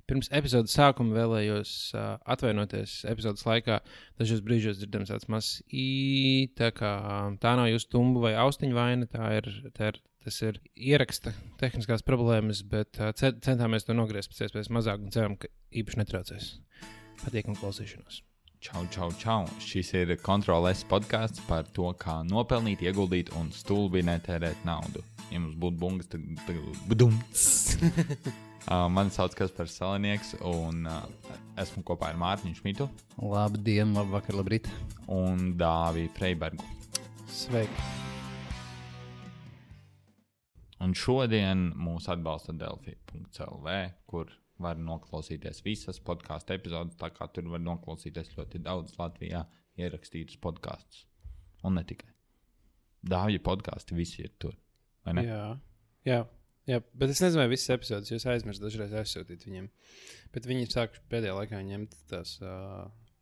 Pirms epizodes sākuma vēlējos atvainoties epizodes laikā. Dažos brīžos dzirdams tāds mazs tā kā tā nav jūsu tumbu vai austiņu vaina, tas ir ieraksta tehniskās problēmas, bet centāmies to nogriezt pēc iespējas mazāk un ceram, ka īpaši netraucēs. Patīkam klausīšanos. Čau. Šis ir Kontrol-S podcasts par to, kā nopelnīt, ieguldīt un stulbi netērēt naudu. Ja mums būtu bungas, tad budumts. Mani sauc Kaspars Salinieks un esmu kopā ar Mārtiņu Šmitu. Labdien, labvakar, labrīt. Un Dāvi Freibergu. Sveiki. Un šodien mūs atbalsta Delfi.lv, kur var noklausīties visas podcastu epizodes, tā kā tur var noklausīties ļoti daudz Latvijā ierakstītus podkastus. Un ne tikai. Dāvja podkasti visi ir tur, vai ne? Jā, bet es nezinu, vai visas epizodes jūs aizmirst dažreiz aizsūtīt viņiem. Bet viņi sāk pēdējā laikā ņemt tās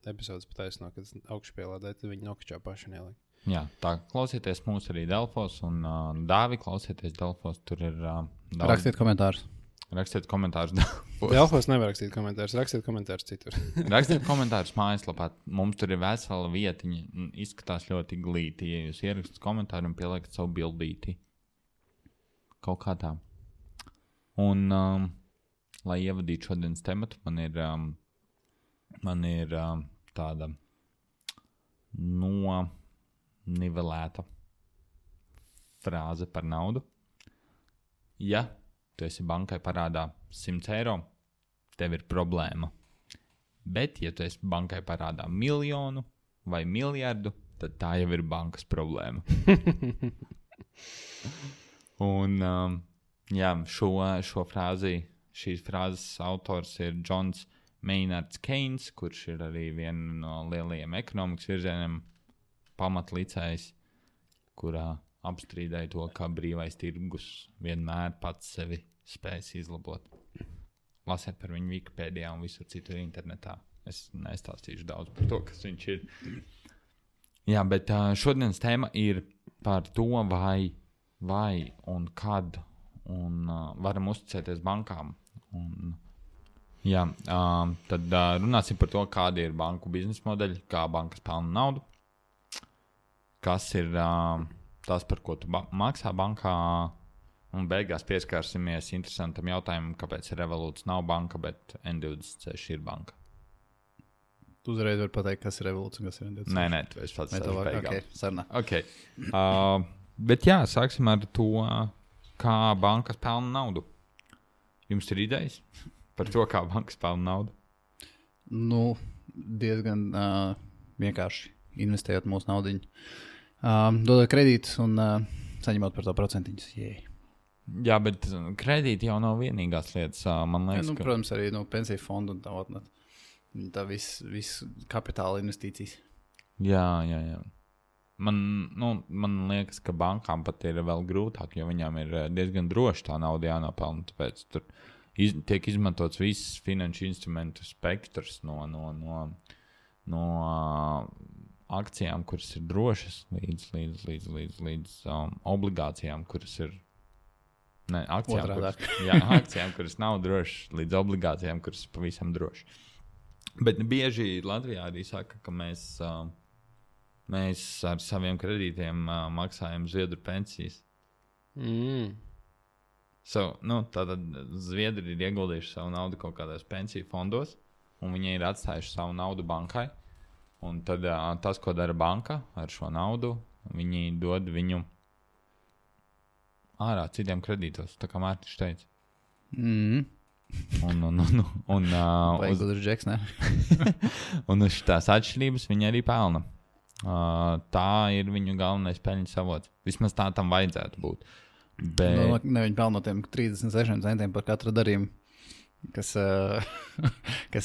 epizodes pataisno, kad augšpielādē, tad viņi nokačā paši neliek. Jā, tā klausieties mūs arī Delfos un Dāvi klausieties Delfos, tur ir daudz. Rakstiet komentārus. Rakstiet komentārus. Delfos nevar rakstīt komentārus, rakstiet komentārus citur. Rakstiet komentārus mājaslapā. Mums tur ir vesela vietiņa, izskatās ļoti glīti. Ja jūs ierakstat komentāru un pieliekat savu bildīti. Kaut kā tā. Un, lai ievadītu šodienas tematu, man ir tāda nivelēta frāze par naudu. Ja tu esi bankai parādā 100 eiro, tev ir problēma. Bet, ja tu esi bankai parādā 1 miljonu vai 1 miljardu, tad tā jau ir bankas problēma. Un, šo frāzi, šīs frāzes autors ir Johns Maynard Keynes, kurš ir arī viena no lielajiem ekonomikas virzieniem pamatlicējs, kurā apstrīdēja to, ka brīvais tirgus vienmēr pats sevi spēs izlabot. Lasiet par viņu Wikipēdijā un visur citur internetā. Es nestāstīšu daudz par to, kas viņš ir. Jā, bet šodienas tēma ir par to, vai un kad un varam uzticēties bankām. Un, tad runāsim par to, kādi ir banku biznesa modeļi, kā bankas pelna naudu, kas ir tas, par ko tu maksā bankā, un beigās pieskārsimies interesantam jautājumam, kāpēc Revolūts nav banka, bet N26 ir banka. Tu uzreiz vari pateikt, kas ir Revolūts un kas ir N26. Nē, tu esi pats savs beigām. Ok, sarunā. Okay. Bet jā, sāksim ar to, kā bankas pelna naudu. Jums ir idejas par to, kā bankas pelna naudu? Nu, diezgan vienkārši investējot mūsu naudiņu. Dodot kredītus un saņemot par to procentiņus. Jā, bet kredīti jau nav vienīgās lietas. Man liekas, ka... Protams, arī pensiju fondu un tā viss kapitāla investīcijas. Jā. Man liekas, ka bankām pat ir vēl grūtāk, jo viņām ir diezgan droši tā nauda jānopelna. Tāpēc tur tiek izmantots viss finanšu instrumentu spektrs no akcijām, kuras ir drošas, līdz obligācijām, kuras ir akcijām, kuras nav drošas, līdz obligācijām, kuras ir pavisam drošas. Bet bieži Latvijā arī saka, ka mēs ar saviem kredītiem maksājam Zviedru pensijas. Tātad Zviedri ir ieguldījuši savu naudu kaut kādās pensiju fondos, un viņi ir atstājuši savu naudu bankai. Un tad tas, ko dara banka ar šo naudu, viņi dod viņu ārā citiem kredītos, tā kā Mārtiņš teica. Un uz tās atšķirības viņi arī pelna. Tā ir viņu galvenais peļņas avots. Vismaz tā tam vajadzētu būt. Bet... Ne, viņi pelna no tiem 36 centiem par katru darījumu, kas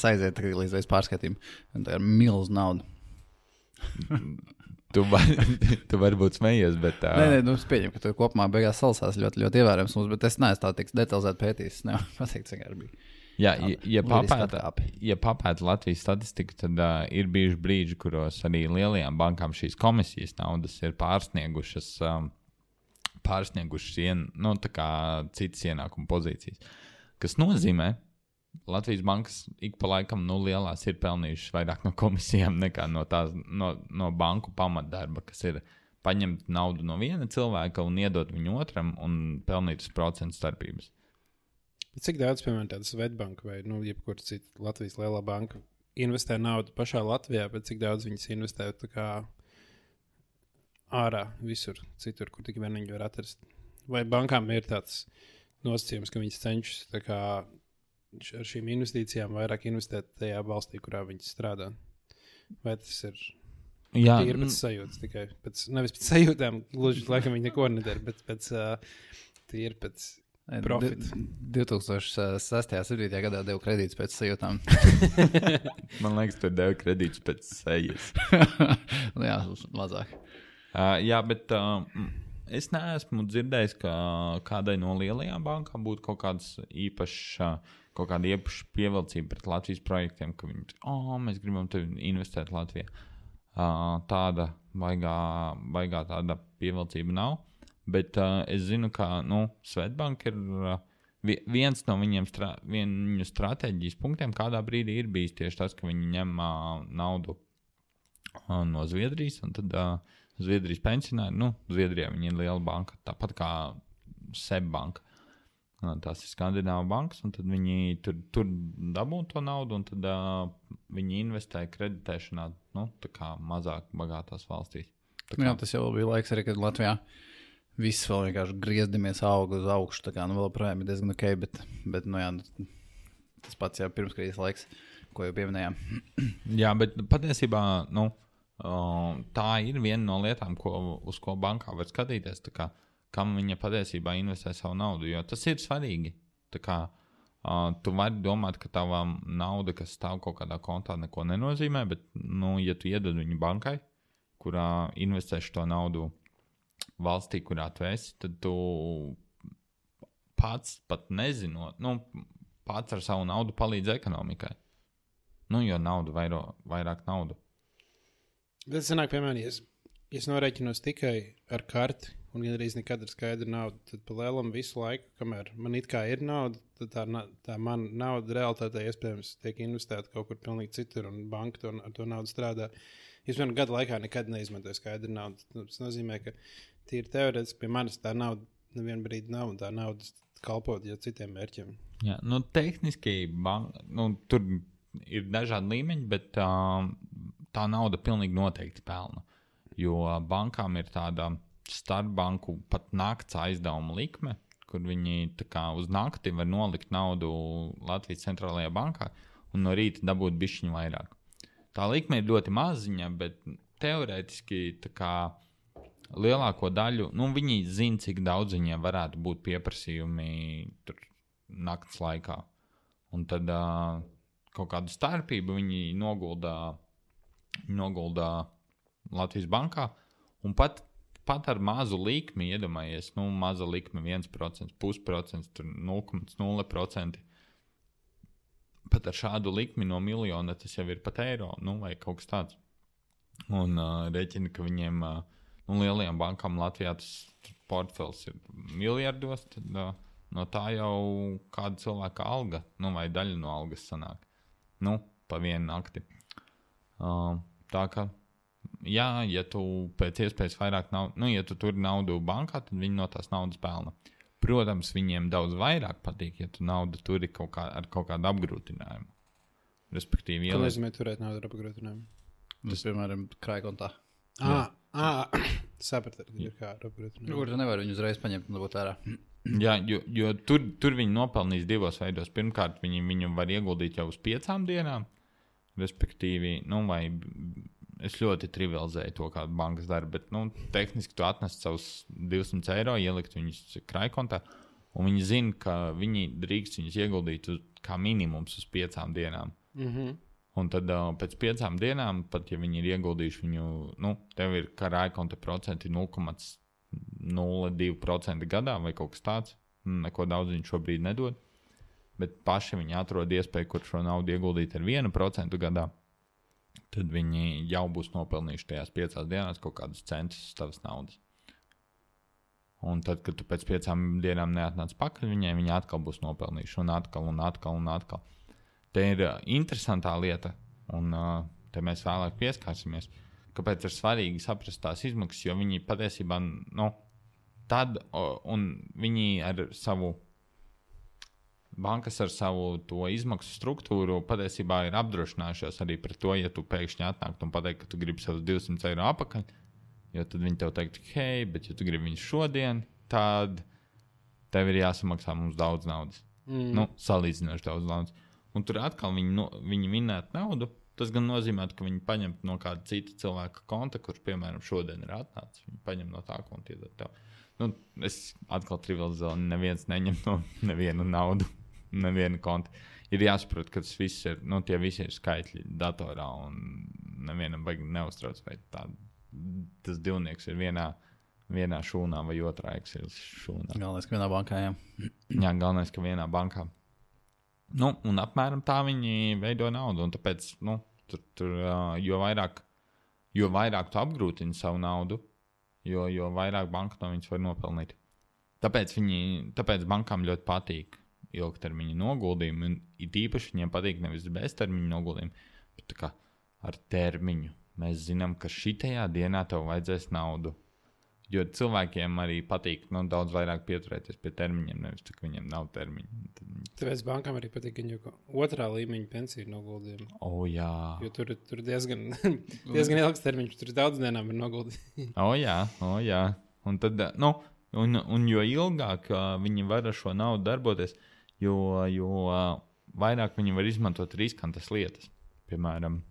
aiziet līdz pārskatījumam. Tā ir milz nauda. Tu vari būt smejies, bet... Nē, es pieņemu, ka tu kopumā beigās salasās ļoti, ļoti ievērams mums, bet es neesmu tā tik detalizēti pētījis. Nevar pateikt, cik arī bija. Jā, ja papēta Latvijas statistiku, tad ir bijuši brīži, kuros arī lielajām bankām šīs komisijas naudas ir pārsniegušas tā kā citas ienākuma pozīcijas. Kas nozīmē, Latvijas bankas ik pa laikam lielās ir pelnījušas vairāk no komisijām nekā no banku pamatdarba, kas ir paņemt naudu no viena cilvēka un iedot viņu otram un pelnīt uz procentu starpības. Cik daudz, piemēram, tāda Svetbanka vai jebkura cita Latvijas lielā banka investē naudu pašā Latvijā, bet cik daudz viņas investē tā kā ārā visur, citur, kur tik vien viņi var atrast? Vai bankām ir tāds nosacījums, ka viņas cenšas tā kā ar šīm investīcijām vairāk investēt tajā valstī, kurā viņas strādā? Vai tas ir tīri pēc sajūtas tikai? Nevis pēc sajūtām, gluži laikam viņi neko nedara, bet tīri pēc profita. 2006. 7. gadā devu kredītus pēc sajūtām. Man liekas, tu devu kredītus pēc sejas. Jā, mazāk. Jā, bet es neesmu dzirdējis, ka kādai no lielajām bankām būtu kaut kāda īpaša pievilcība pret Latvijas projektiem, ka viņi mēs gribam tevi investēt Latvijā. Tāda baigā tāda pievilcība nav. Bet es zinu, ka Svetbank ir viens no viņu stratēģijas punktiem, kādā brīdī ir bijis tieši tas, ka viņi ņem naudu no Zviedrijas, un tad Zviedrijas pensionāri, Zviedrijā viņi ir liela banka, tāpat kā SEB banka. Tās ir Skandināvu bankas, un tad viņi tur dabū to naudu, un tad viņi investē kreditēšanā, tā kā mazāk bagātās valstīs. Jā, tas jau bija laiks arī, kad Latvijā viss vēl vienkārši griezdamies auga uz augšu, tā kā vēl projām ir diezgan ok, bet tas pats jau pirmskrīzes laiks, ko jau pieminējām. Jā, bet patiesībā, tā ir viena no lietām, uz ko bankā var skatīties, tā kā kam viņa patiesībā investē savu naudu, jo tas ir svarīgi. Tā kā tu vari domāt, ka tava nauda, kas stāv kaut kādā kontā, neko nenozīmē, bet, ja tu iedod viņu bankai, kurā investēši to naudu valstī, kurā tu esi, tad tu pats pat nezinot, pats ar savu naudu palīdz ekonomikai. Jo nauda vairāk naudu. Bet sanāk, piemēram, ja es norēķinos tikai ar karti, un gandrīz nekad ir skaidra nauda, tad pa lielam visu laiku, kamēr man it kā ir nauda, tad tā mana nauda realitātē iespējams tiek investēta kaut kur pilnīgi citur, un banka ar to naudu strādā. Es vienu gadu laikā nekad neizmantoju skaidru naudu. Tas nozīmē, ka tīri teorētiski pie manis tā nauda nevienu brīdi nav, un tā nauda kalpot jau citiem mērķiem. Jā, tehniski tur ir dažādi līmeņi, bet tā nauda pilnīgi noteikti pelna. Jo bankām ir tāda starpbanku pat nakts aizdevuma likme, kur viņi tā kā uz nakti var nolikt naudu Latvijas centrālajā bankā un no rīta dabūt bišķiņu vairāk. Tā likme ir ļoti maziņa, bet teorētiski tā kā lielāko daļu, viņi zina, cik daudz viņiem varētu būt pieprasījumi tur nakts laikā. Un tad kaut kādu starpību viņi noguldā Latvijas bankā, un pat ar mazu likmi, iedomājies, maza likme 1%, 0,5%, 0,0%. Pat ar šādu likmi no miljona tas jau ir pat eiro, vai kaut kas tāds. Un rēķina, ka viņiem, lielajām bankām Latvijā tas portfels ir miljardos, tad no tā jau kāda cilvēka alga, vai daļa no algas sanāk. Pa vienu nakti. Tā kā jā, ja tu pēc iespējas vairāk naudu, ja tu tur naudu bankā, tad viņi no tās naudas pelna. Protams, viņiem daudz vairāk patīk, ja tu naudu turi ar kaut kādu apgrūtinājumu. Respektīvi, ko nozīmē turēt naudu ar apgrūtinājumu? Tas, piemēram, krājkontā. Sapratu, ir kā ar apgrūtinājumu. Kur tu nevari viņu uzreiz paņemt un dabūt ārā. Jā, jo tur viņi nopelnīs divos veidos. Pirmkārt, viņu var ieguldīt jau uz 5 dienām, respektīvi, vai es ļoti trivializēju to, kāda bankas dara, bet tehniski tu atnest savus 200 eiro, ielikt viņus krājkontā, un viņi zina, ka viņi drīkst viņus ieguldīt kā minimums uz 5 dienām. Mm-hmm. Un tad pēc 5 dienām, pat ja viņi ir ieguldījuši viņu, tev ir krājkonta procenti 0,02% gadā vai kaut kas tāds, neko daudz viņi šobrīd nedod, bet paši viņi atrod iespēju, kur šo naudu ieguldīt ar 1% gadā. Tad viņi jau būs nopelnījuši tajās 5 dienās kaut kādus centus uz tavas naudas. Un tad, kad tu pēc 5 dienām neatnāc pakaļ viņai, viņi atkal būs nopelnījuši un atkal. te ir interesantā lieta, un te mēs vēlāk pieskārsimies, kāpēc ir svarīgi saprast tās izmaksas, jo viņi patiesībā, un viņi ar savu, bankas ar savu to izmaksu struktūru patiesībā ir apdrošinājušās arī par to, ja tu pēkšņi atnāktu un pateikt, ka tu gribi savus 200 eiro apakaļ, jo tad viņi tev teikt, hei, bet ja tu gribi viņu šodien, tad tev ir jāsamaksā mums daudz naudas. Salīdzinoši daudz naudas. Un tur atkal viņi minētu naudu, tas gan nozīmē, ka viņi paņem no kāda cita cilvēka konta, kurš, piemēram, šodien ir atnācis. Viņi paņem no tā konta iedod tev. Es atkal trivializēju, neviens neņem no nevienu naudu, nevienu kontu. Ir jāsaprot, ka tas viss ir, tie visi ir skaitļi datorā un nevienam baigi neuztrauc, vai tas divnieks ir vienā šūnā vai otrā Excel šūnā. Galvenais, ka vienā bankā, jā. Jā, galvenais, ka vienā bankā. Un apmēram tā viņi veido naudu, un tāpēc, jo vairāk tu apgrūtini savu naudu, jo vairāk banka no viņas var nopelnīt. Tāpēc bankām ļoti patīk ilgtermiņa noguldījumi, un it īpaši viņiem patīk nevis beztermiņa noguldījumi, bet tā kā ar termiņu. Mēs zinām, ka šitajā dienā tev vajadzēs naudu. Jo cilvēkiem arī patīk daudz vairāk pieturēties pie termiņiem, nevis tā, ka viņiem nav termiņu. Tāpēc bankām arī patīk, ka jau otrā līmeņa pensiju noguldījumi. Jā. Jo tur diezgan ilgs termiņš, tur daudz dienām ir noguldījumi. Jā. Un tad, un jo ilgāk viņi var ar šo naudu darboties, jo vairāk viņi var izmantot riskantas lietas. Piemēram,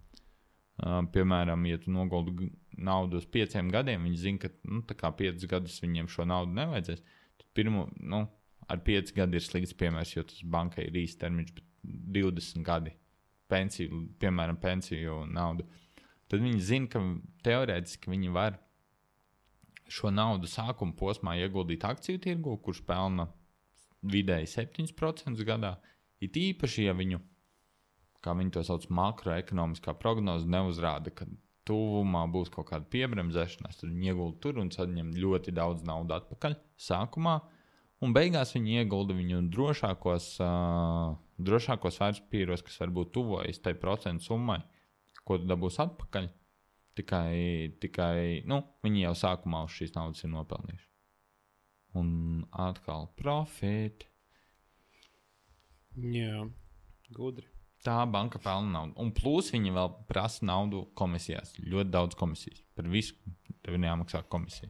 ja tu noguldi naudu uz 5 gadiem, viņi zina, ka tā kā 5 gadus viņiem šo naudu nevajadzēs. Tad ar 5 gadi ir slikts piemērs, jo tas bankai ir īsts termiņš, bet 20 gadi pensiju naudu. Tad viņi zina, ka teorētiski viņi var šo naudu sākuma posmā ieguldīt akciju tirgu, kurš pelna vidēji 7% gadā. It īpaši, ja viņu, kā viņi to sauc, makroekonomiskā prognoze neuzrāda, ka tuvumā būs kaut kāda piebremzēšanās, tad viņi iegulda tur un saņem ļoti daudz naudu atpakaļ sākumā, un beigās viņi iegulda viņu drošākos vērtspapīros, kas varbūt tuvojas tai procentu summai, ko tu dabūsi atpakaļ. Tikai viņi jau sākumā uz šīs naudas ir nopelnījuši. Un atkal profit. Jā, gudri. Tā banka pelna naudu. Un plus viņi vēl prasa naudu komisijās. Ļoti daudz komisijas. Par visu tev ir jāmaksā komisija.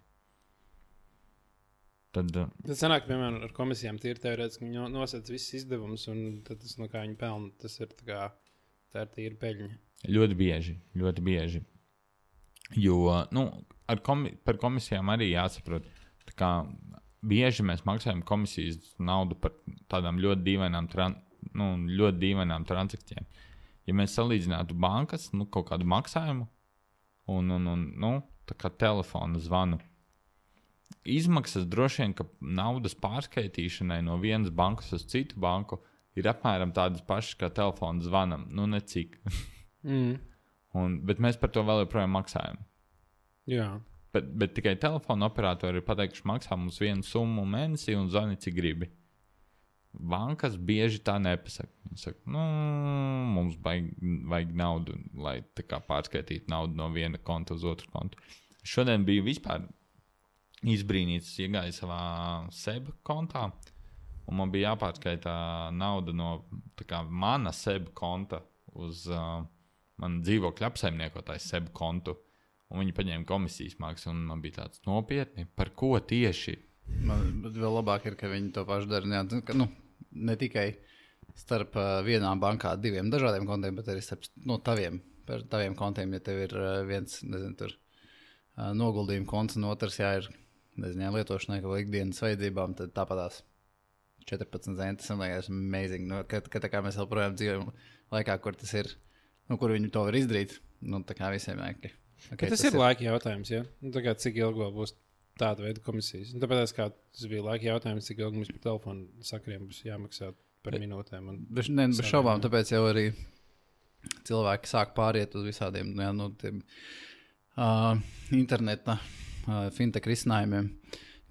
Tad sanāk, piemēram, ar komisijām tīri teorētiski viņi nosēc visas izdevumus, un tad tas, no kā viņi pelna, tas ir tā ir tīri peļņa. Ļoti bieži. Jo, par komisijām arī jāsaprot, tā kā bieži mēs maksājam komisijas naudu par tādām ļoti dīvainām transakcijām. Ja mēs salīdzinātu bankas, kaut kādu maksājumu un tā kā telefona zvanu, izmaksas droši vien, ka naudas pārskaitīšanai no vienas bankas uz citu banku ir apmēram tādas pašas kā telefona zvanam. Necik. Bet mēs par to vēl joprojām maksājam. Jā. Bet tikai telefona operatori ir pateikuši, maksā mums vienu summu mēnesī un zvani, cik gribi. Bankas bieži tā nepasaka. Viņi saka, mums vajag naudu, lai tā kā pārskaitītu naudu no viena konta uz otru kontu. Šodien biju vispār izbrīnīts, iegāju savā SEB kontā, un man bija jāpārskaitā nauda no tā kā mana SEB konta uz man dzīvokļa apsaimniekotāju SEB kontu, un viņi paņēma komisijas maksu, un man bija tāds nopietni, par ko tieši? Man vēl labāk ir, ka viņi to pašu dara, ne tikai starp vienām bankā 2 dažādiem kontiem, bet arī starp taviem kontiem, ja tev ir viens, tur noguldījuma konts, un otrs, ir, lietošanai kaut ikdienas vajadzībām, tad tāpatās 14 zentas, un liekas amazing, ka tā kā mēs vēl projām dzīvojam laikā, kur tas ir, kur viņi to var izdarīt, tā kā visiem jākļi. Okay, tas ir laika jautājums, ja? Tā kā cik ilgi vēl būs tāda veida komisijas. Tāpēc, kā tas bija laika jautājums, cik ilgi mums par telefonu sakariem būs jāmaksā par minūtēm. Bez šaubām, tāpēc jau arī cilvēki sāk pāriet uz visādiem tiem, interneta fintech risinājumiem,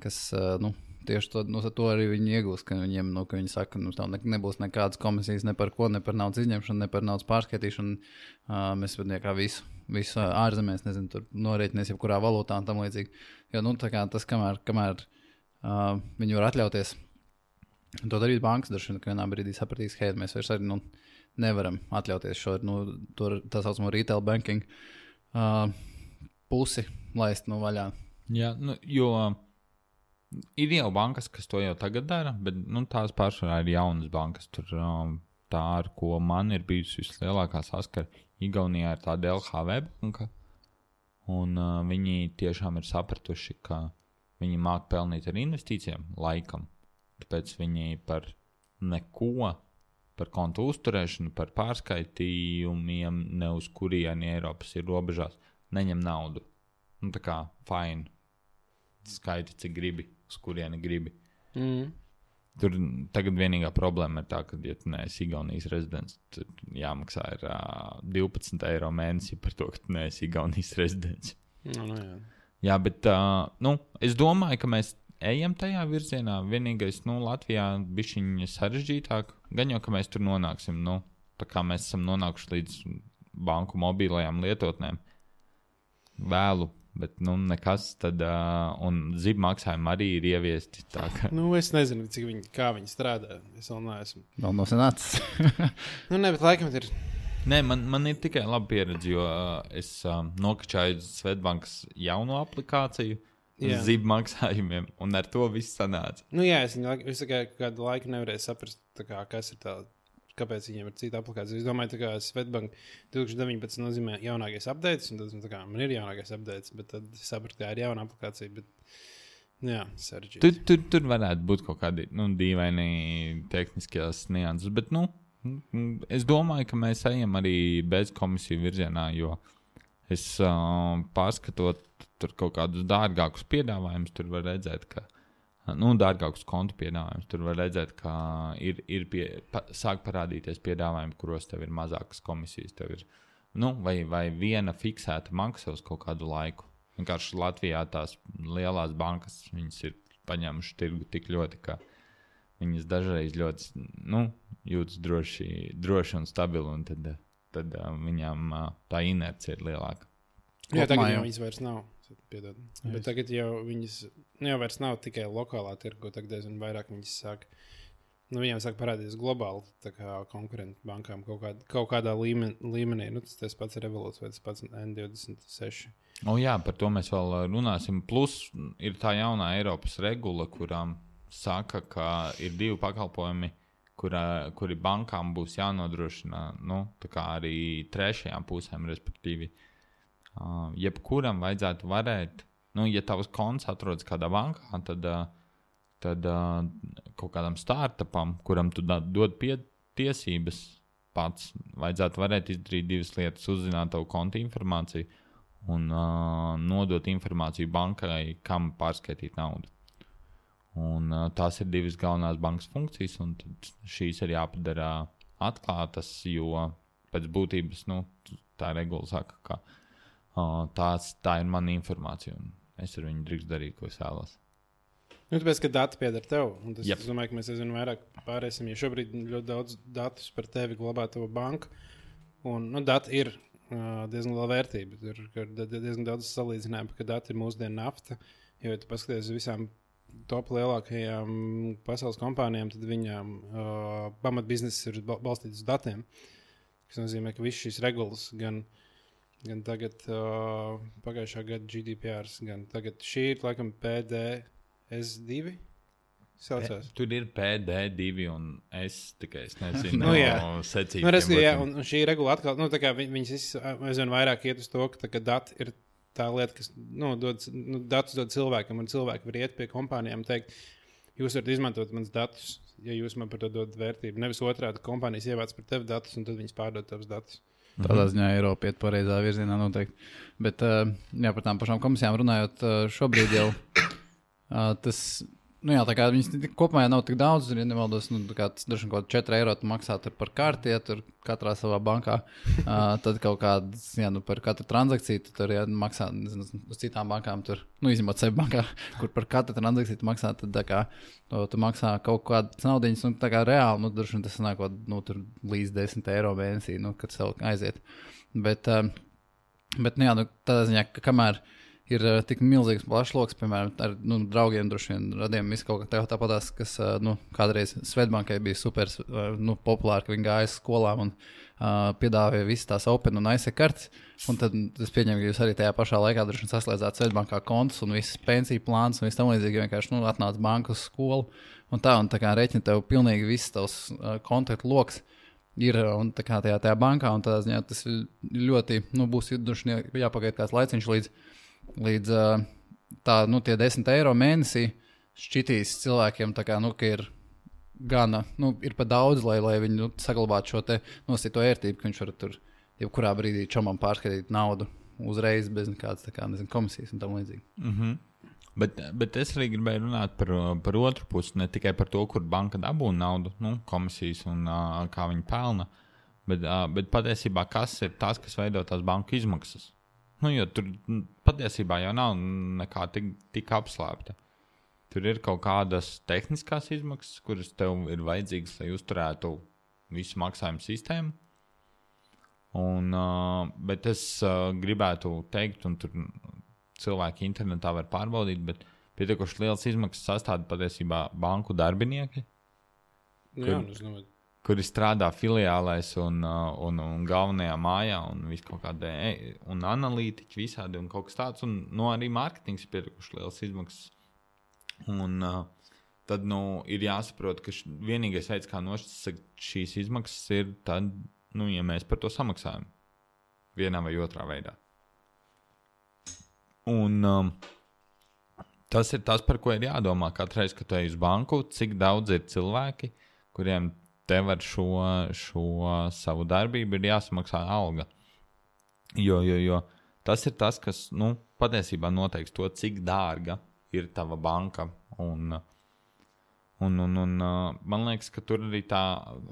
kas tieši to arī viņi iegūst, ka viņiem, ka viņi saka, ka tev nebūs nekādas komisijas ne par ko, ne par naudas izņemšanu, ne par naudas pārskaitīšanu. Mēs kā visu ārzemēs, nezinu, tur norēķinies jebkurā valūtā un tam līdzīgi. Jo, tā kā tas, kamēr viņi var atļauties to darīt bankas, daži vienā brīdī sapratīs, hei, mēs vairs arī, nevaram atļauties šo, tā saucamo retail banking pusi laist vaļā. Jā, jo ir jau bankas, kas to jau tagad dara, bet tās pārsvarā ir jaunas bankas. Tur tā, ar ko man ir bijusi vislielākā saskara, Igaunijā ir tāda LHV banka, un viņi tiešām ir sapratuši, ka viņi māk pelnīt ar investīcijām laikam. Tāpēc viņi par neko, par kontu uzturēšanu, par pārskaitījumiem, ne uz kurieni Eiropas ir robežās, neņem naudu. Tā kā fine. Skaiti, cik gribi, uz kurieni gribi. Tur tagad vienīgā problēma ir tā, ka, ja tu neesi Igaunijas rezidents, tad jāmaksā ir 12 eiro mēnesī par to, ka tu neesi Igaunijas rezidents. Jā, bet es domāju, ka mēs ejam tajā virzienā. Vienīgais, Latvijā bišķiņ sarežģītāk. Gan jau, ka mēs tur nonāksim, tā kā mēs esam nonākuši līdz banku mobilajām lietotnēm vēlu. Bet, nekas tad, un zibu maksājumi arī ir ieviesti. Tā kā. Es nezinu, kā viņi strādā. Es vēl neesmu. Vēl nav sanācis. Bet laikam ir. Nē, man ir tikai laba pieredze, jo es nokačāju Svetbankas jauno aplikāciju uz zibu maksājumiem, un ar to viss sanāca. Es kādu laiku nevarēju saprast, kas ir tā. Kāpēc viņiem ir cita aplikācija? Es domāju, ka Svetbank 2019 nozīmē jaunākais updates, un tad man ir jaunākais updates, bet tad es sapratu, ka ir jauna aplikācija, bet sarežģīti. Tur varētu būt kaut kādi dīvaini tehniskās nianses, bet es domāju, ka mēs ejam arī bez komisiju virzienā, jo es pārskatot tur kaut kādus dārgākus piedāvājumus, tur var redzēt, ka dārgākus kontu piedāvājumus. Tur var redzēt, ka sāk parādīties piedāvājumi, kuros tev ir mazākas komisijas. Tev ir, vai viena fiksēta maksa uz kaut kādu laiku. Vienkārši Latvijā tās lielās bankas, viņas ir paņēmuši tirgu tik ļoti, ka viņas dažreiz ļoti, jūtas droši un stabili, un tad viņām tā inerce ir lielāka. Jā, tagad jau viņas vairs nav. Piedod. Bet tagad jau viņas vairs nav tikai lokālā tirgu, tagad diezgan vairāk viņas sāk, viņām sāk parādīties globāli, tā kā konkurentu bankām kaut kādā līmenī, tas pats Revolut vai tas pats N26. Jā, par to mēs vēl runāsim. Plus ir tā jaunā Eiropas regula, kurām saka, ka ir divi pakalpojumi, kuri bankām būs jānodrošina, tā kā arī trešajām pusēm, respektīvi. Jebkuram vajadzētu varēt, ja tavs konts atrodas kādā bankā, tad kaut kādam startupam, kuram tu dod tiesības pats, vajadzētu varēt izdarīt divas lietas, uzzināt tavu konta informāciju un nodot informāciju bankai, kam pārskaitīt naudu. Un tās ir divas galvenās bankas funkcijas, un šīs ir jāpadara atklātas, jo pēc būtības, tā regula saka, ka tā ir mana informācija, un es ar viņu drīkst darīt, ko es vēlos. Tāpēc, ka dati pieder tev, un tas, es domāju, ka mēs aizvien vairāk pārēsim, jo šobrīd ļoti daudz datus par tevi glabā tavu banku, un dati ir diezgan liela vērtība. Ir diezgan daudz salīdzinājumu, ka dati ir mūsdienu nafta, jo, ja tu paskaties uz visām top lielākajām pasaules kompānijām, tad viņām pamatbizness ir balstīts uz datiem, kas nozīmē, ka viss šīs regulas gan tagad pagājušā gada GDPR, gan tagad šī ir laikam PDS2 saucās. Tur ir PD2 un tikai es nezinu secību. Un šī regula atkal, tā kā viņas aizvien vairāk iet uz to, ka dati ir tā lieta, kas datus dod cilvēkam, un cilvēki var iet pie kompānijām un teikt, jūs varat izmantot mans datus, ja jūs man par to dod vērtību. Nevis otrādi, kompānijas ievāc par tevi datus, un tad viņas pārdod tavus datus. Tādā ziņā Eiropa iet pareizā virzienā noteikti. Bet, par tām pašām komisijām runājot, šobrīd jau tas Nu jā, tā kā viņas kopumā nav tik daudz, ja nemaldos, tā kā tas droši kaut 4 eiro tu maksā tur par karti, ja tur katrā savā bankā, tad kaut kādas, par katru transakciju tu tur, maksā, nezinu, uz citām bankām tur, izņemot sevi bankā, kur par katru transakciju tu maksā, tad tā kā tu maksā kaut kādas naudiņas, un tā kā reāli, droši vien tas sanākot, tur līdz 10 eiro mēnesī, kad tev aiziet. Bet jā, tādā ziņā, ka kamēr ir tik milzīgs plašloks, piemēram, ar draugiem droši vien radiem visu kaut kā tāpatās, kas kādreiz Svetbankai bija super populāri, ka viņi gāja skolām un piedāvāja visas tās open un ISA kartes, un tad es pieņemu, ka jūs arī tajā pašā laikā droši vien saslēdzāt Svetbankā kontus un visas pensiju plāns un viss tam līdzīgi, vienkārši atnāc banku uz skolu un tā kā reķina tev pilnīgi viss tavs kontaktu loks ir un tā kā tajā bankā, un tādā ziņā tas ļoti, būs jāpagaid kāds laiciņš līdz tie 10 eiro mēnesī šķitīs cilvēkiem tā kā, ka ir gana, ir pa daudz, lai viņi saglabātu šo te nosīto ērtību, ka viņš var tur jebkurā brīdī čomam pārskatīt naudu uzreiz bez nekādas, tā kā, nezinu, komisijas un tam līdzīgi. Mhm. Bet es arī gribēju runāt par otru pusi, ne tikai par to, kur banka dabūna naudu, komisijas un kā viņi pelna, bet patiesībā kas ir tas, kas veido tās banku izmaksas. Jo tur patiesībā jau nav nekā tik apslēpta. Tur ir kaut kādas tehniskās izmaksas, kuras tev ir vajadzīgas, lai uzturētu visu maksājumu sistēmu. Bet es gribētu teikt, un tur cilvēki internetā var pārbaudīt, bet pietiekoši liels izmaksas sastāda patiesībā banku darbinieki, kuri strādā filiālēs un galvenajā mājā un visu kaut kādā, un analītiķi visādi un kaut kas tāds, un arī mārketings ir pietiekoši liels izmaksas. Un tad, ir jāsaprot, ka vienīgais veids, kā nošķirt šīs izmaksas ir tad, ja mēs par to samaksājam vienā vai otrā veidā. Un tas ir tas, par ko ir jādomā katru reizi, kad tu ej uz banku, cik daudz ir cilvēki, kuriem tev ar šo savu darbību ir jāsamaksā alga. Jo tas ir tas, kas patiesībā noteiks to, cik dārga ir tava banka. Un man liekas, ka tur arī tā,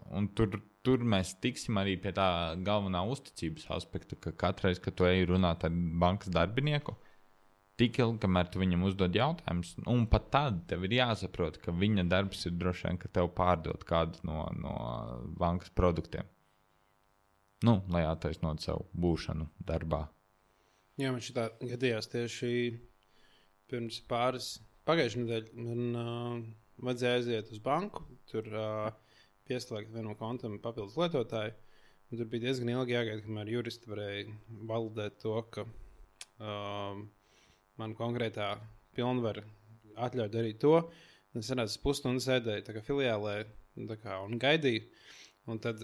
un tur mēs tiksim arī pie tā galvenā uzticības aspekta, ka katreiz, kad tu ej runāt ar bankas darbinieku, tik ilgi, kamēr tu viņam uzdod jautājumus, un pat tad tev ir jāsaprot, ka viņa darbs ir droši vien, ka tev pārdot kādu no bankas produktiem. Lai attaisnot savu būšanu darbā. Jā, man šitā gadījās tieši pirms pagājušajā nedēļā man vajadzēja aiziet uz banku, tur pieslēgt vienam kontam papildus lietotāju, un tur bija diezgan ilgi jāgaida, kamēr juristi varēja validēt to, ka man konkrētā pilnvara atļauj darīt to. Es sanācu pusstundu sēdēju tā kā filiālē un gaidīju. Un tad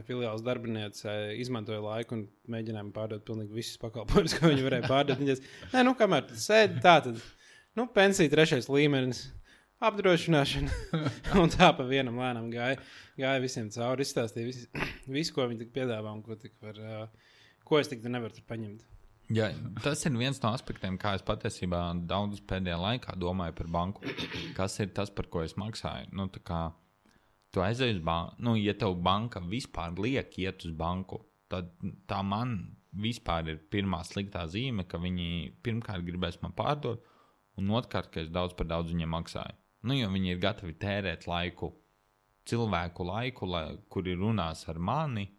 filiāles darbiniece izmantoja laiku un mēģināja pārdot pilnīgi visus pakalpojumus, ko viņi varēja pārdot. Viņas, kamēr tu sēdi, tā tad, pensija 3. līmenis, apdrošināšana. Un tā pa vienam lēnām gāja visiem cauri, izstāstīja visu, ko viņi tik piedāvā un ko es tik nevaru tur paņemt. Jā, tas ir viens no aspektiem, kā es patiesībā daudz pēdējā laikā domāju par banku. Kas ir tas, par ko es maksāju? Tu aizej uz banku, ja tev banka vispār liek iet uz banku, tad tā man vispār ir pirmā sliktā zīme, ka viņi pirmkārt gribēs man pārdot, un otrkārt, ka es daudz par daudz viņiem maksāju. Jo viņi ir gatavi tērēt cilvēku laiku, kuri runās ar mani,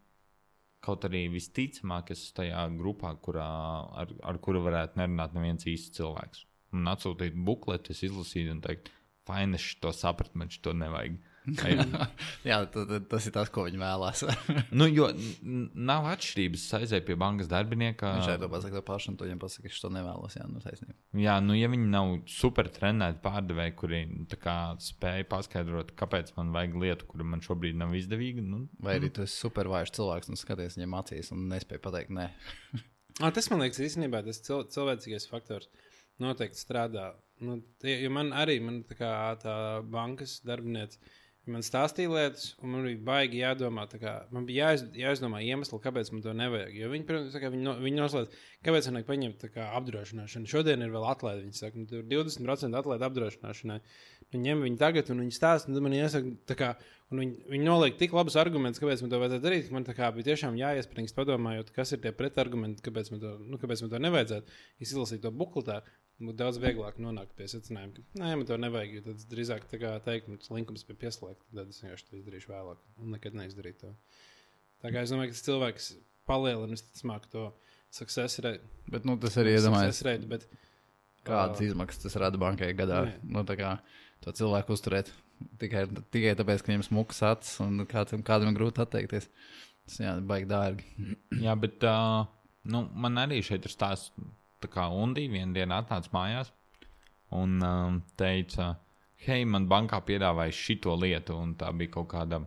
kaut arī visticamāk, es tajā grupā, ar kuru varētu nerunāt neviens īsts cilvēks. Un atsūtīt bukletu, es izlasīju un teikt, fajn, es to sapratu, man to nevajag. Jā, tas ir tas, ko viņi vēlās. Jo nav atšķirības, aizēj pie bankas darbinieka. Viņš to pasaka pašu, un tu viņam pasaka, ka es to nevēlos. Taisnība. Jā, ja viņi nav super trenēti pārdevēji, kuri spēja paskaidrot, kāpēc man vajag lietu, kura man šobrīd nav izdevīga. Vai arī tu esi super vājš cilvēks un skaties viņam acīs un nespēj pateikt nē. Tas man liekas īstenībā tas cilvēcīgais faktors noteikti strādā. Jo man tā kā tā bankas darbiniece, Man stāstīja lietas, un man bija baigi jādomā, man bija jāizdomā iemesli, kāpēc man to nevajag. Jo viņi, protams, viņi noslēdz, kāpēc man vajag paņemt apdrošināšanu. Šodien ir vēl atlaide, viņi saka, tur 20% atlaide apdrošināšanai. Viņi ņem viņu tagad, un viņi stāsta, un man iesaka, un viņi noliek tik labus argumentus, kāpēc man to vajadzētu darīt, ka man bija tiešām jāiespringst padomājot, kas ir tie pretargumenti, kāpēc man to nevajadzētu. Es izlasīju to bukletā. Būtu daudz vieglāk nonākt pie secinājuma, ka nē, man to nevajag, jo tad drīzāk teikt, ka linkums bija pieslēgts, tad es vienkārši to izdarīšu vēlāk un nekad neizdarītu to. Tā kā es domāju, ka tas cilvēks palielina visticamāk to success rate. Bet, tas arī iedomājas, bet kādas izmaksas tas rada bankai gadā. Tā kā to cilvēku uzturēt tikai tāpēc, ka viņam smukas acis un kādam grūti atteikties. Tas, baigi dārgi. Jā, bet man arī šeit ir stāsts. Tā kā Undī vienā dienā atnāca mājās un teica, hei, man bankā piedāvāja šito lietu, un tā bija kaut kāda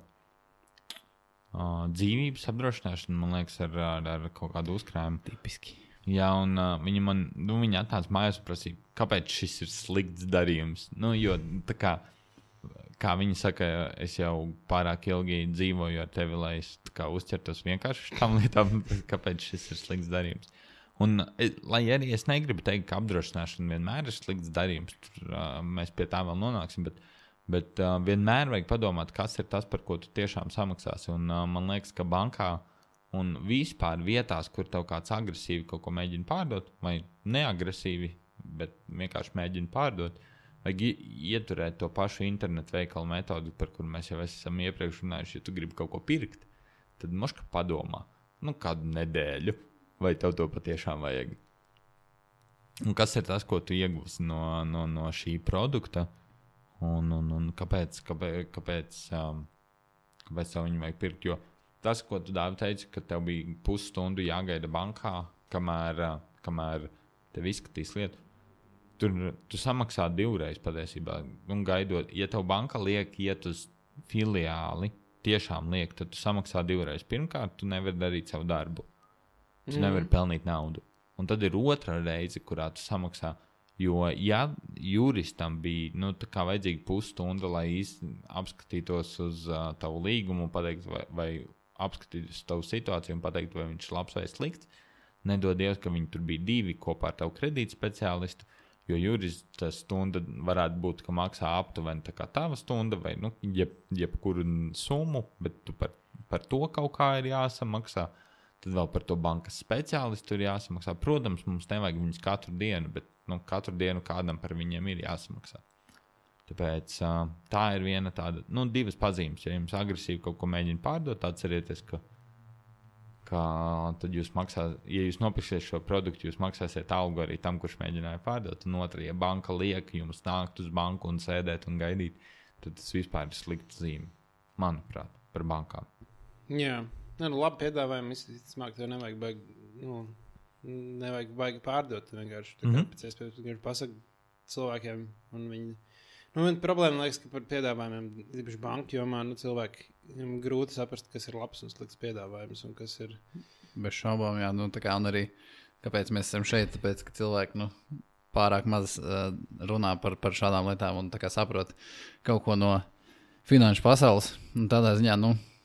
dzīvības apdrošināšana, man liekas, ar kaut kādu uzkrājumu. Tipiski. Jā, un viņa atnāca mājās un prasīja, kāpēc šis ir slikts darījums. Jo tā kā viņa saka, es jau pārāk ilgi dzīvoju ar tevi, lai es uzķertos vienkārši šitām lietām, kāpēc šis ir slikts darījums. Un, lai arī es negribu teikt, ka apdrošināšana vienmēr ir slikts darījums, mēs pie tā vēl nonāksim, bet vienmēr vajag padomāt, kas ir tas, par ko tu tiešām samaksāsi. Un man liekas, ka bankā un vispār vietās, kur tev kāds agresīvi kaut ko mēģina pārdot, vai neagresīvi, bet vienkārši mēģina pārdot, vajag ieturēt to pašu internetu veikalu metodu, par kuru mēs jau esam iepriekš runājuši. Ja tu gribi kaut ko pirkt, tad moška padomā, kādu nedēļu. Vai tev to patiešām vajag? Un kas ir tas, ko tu iegūsi no šī produkta? Un kāpēc tev viņu vajag pirkt? Jo tas, ko tu Dāvi teici, ka tev bija pusstundu jāgaida bankā, kamēr tev izskatīs lietu, tu samaksā divreiz patiesībā. Un gaidot, ja tev banka liek iet uz filiāli, tiešām liek, tad tu samaksā divreiz. Pirmkārt, tu nevari darīt savu darbu. Tu nevari pelnīt naudu. Un tad ir otra reize, kurā tu samaksā. Jo, ja juristam bija vajadzīga pusstunda, lai apskatītos uz tavu līgumu, pateikt, vai apskatītos tavu situāciju un pateikt, vai viņš ir labs vai slikts, nedod Dievs, ka viņi tur bija divi kopā ar tavu kredītu speciālistu, jo jurista stunda varētu būt, ka maksā aptuveni tā kā tava stunda vai jebkuru summu, bet tu par to kaut kā ir jāsamaksā. Tad vēl par to bankas speciālistu ir jāsamaksā. Protams, mums nevajag viņus katru dienu, bet katru dienu kādam par viņiem ir jāsamaksā. Tāpēc tā ir viena tāda, divas pazīmes. Ja jums agresīvi kaut ko mēģina pārdot, atcerieties, ka tad jūs maksāsiet, ja jūs nopirksiet šo produktu, jūs maksāsiet algu arī tam, kurš mēģināja pārdot. Un otra, ja banka liek jums nākt uz banku un sēdēt un gaidīt, tad tas vispār ir slikta zīme, manuprāt, par bankām. Jā. Labi piedāvājumi, izsmāk, tev nevajag baigi pārdot. Vienkārši pēc iespējas vienkārši pasaka cilvēkiem. Un viņi, problēma liekas, ka par piedāvājumiem, īpaši banku jomā, cilvēkiem grūti saprast, kas ir labs un slikts piedāvājums un kas ir. Bez šaubām, jā. Un arī, kāpēc mēs esam šeit, tāpēc, ka cilvēki, pārāk maz runā par šādām lietām un saprot kaut ko no finanšu pasaules. Un tādā ziņā,